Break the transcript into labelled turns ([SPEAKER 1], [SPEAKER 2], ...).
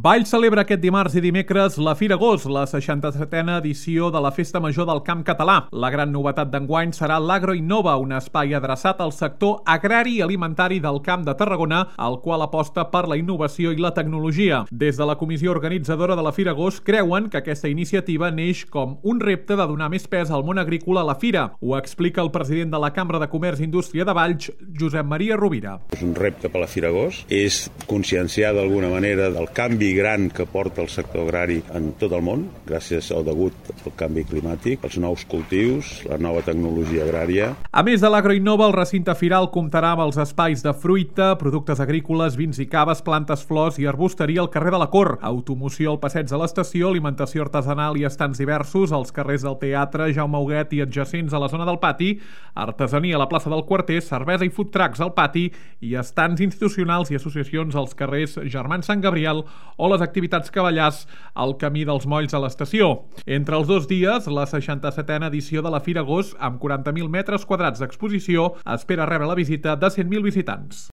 [SPEAKER 1] Valls celebra aquest dimarts i dimecres la Fira Gos, la 67a edició de la Festa Major del Camp Català. La gran novetat d'enguany serà l'Agroinnova, un espai adreçat al sector agrari i alimentari del Camp de Tarragona, el qual aposta per la innovació i la tecnologia. Des de la comissió organitzadora de la Fira Gos creuen que aquesta iniciativa neix com un repte de donar més pes al món agrícola a la fira. Ho explica el president de la Cambra de Comerç i Indústria de Valls, Josep Maria Rovira.
[SPEAKER 2] És un repte per la Fira Gos, és conscienciar d'alguna manera del canvi gran que porta el sector agrari en tot el món, gràcies al degut al canvi climàtic, els nous cultius, la nova tecnologia agrària.
[SPEAKER 1] A més de l'Agroinnova, el recinte firal comptarà amb els espais de fruita, productes agrícoles, vins i caves, plantes, flors i arbusteria al carrer de la Cor, automoció al passeig de l'estació, alimentació artesanal i estants diversos als carrers del Teatre, Jaume Huguet i adjacents a la zona del pati, artesania a la plaça del Quarter, cervesa i food trucks al pati i estants institucionals i associacions als carrers Germans Sant Gabriel o les activitats cavallars al camí dels Molls a l'estació. Entre els dos dies, la 67a edició de la Fira Gos, amb 40.000 metres quadrats d'exposició, espera rebre la visita de 100.000 visitants.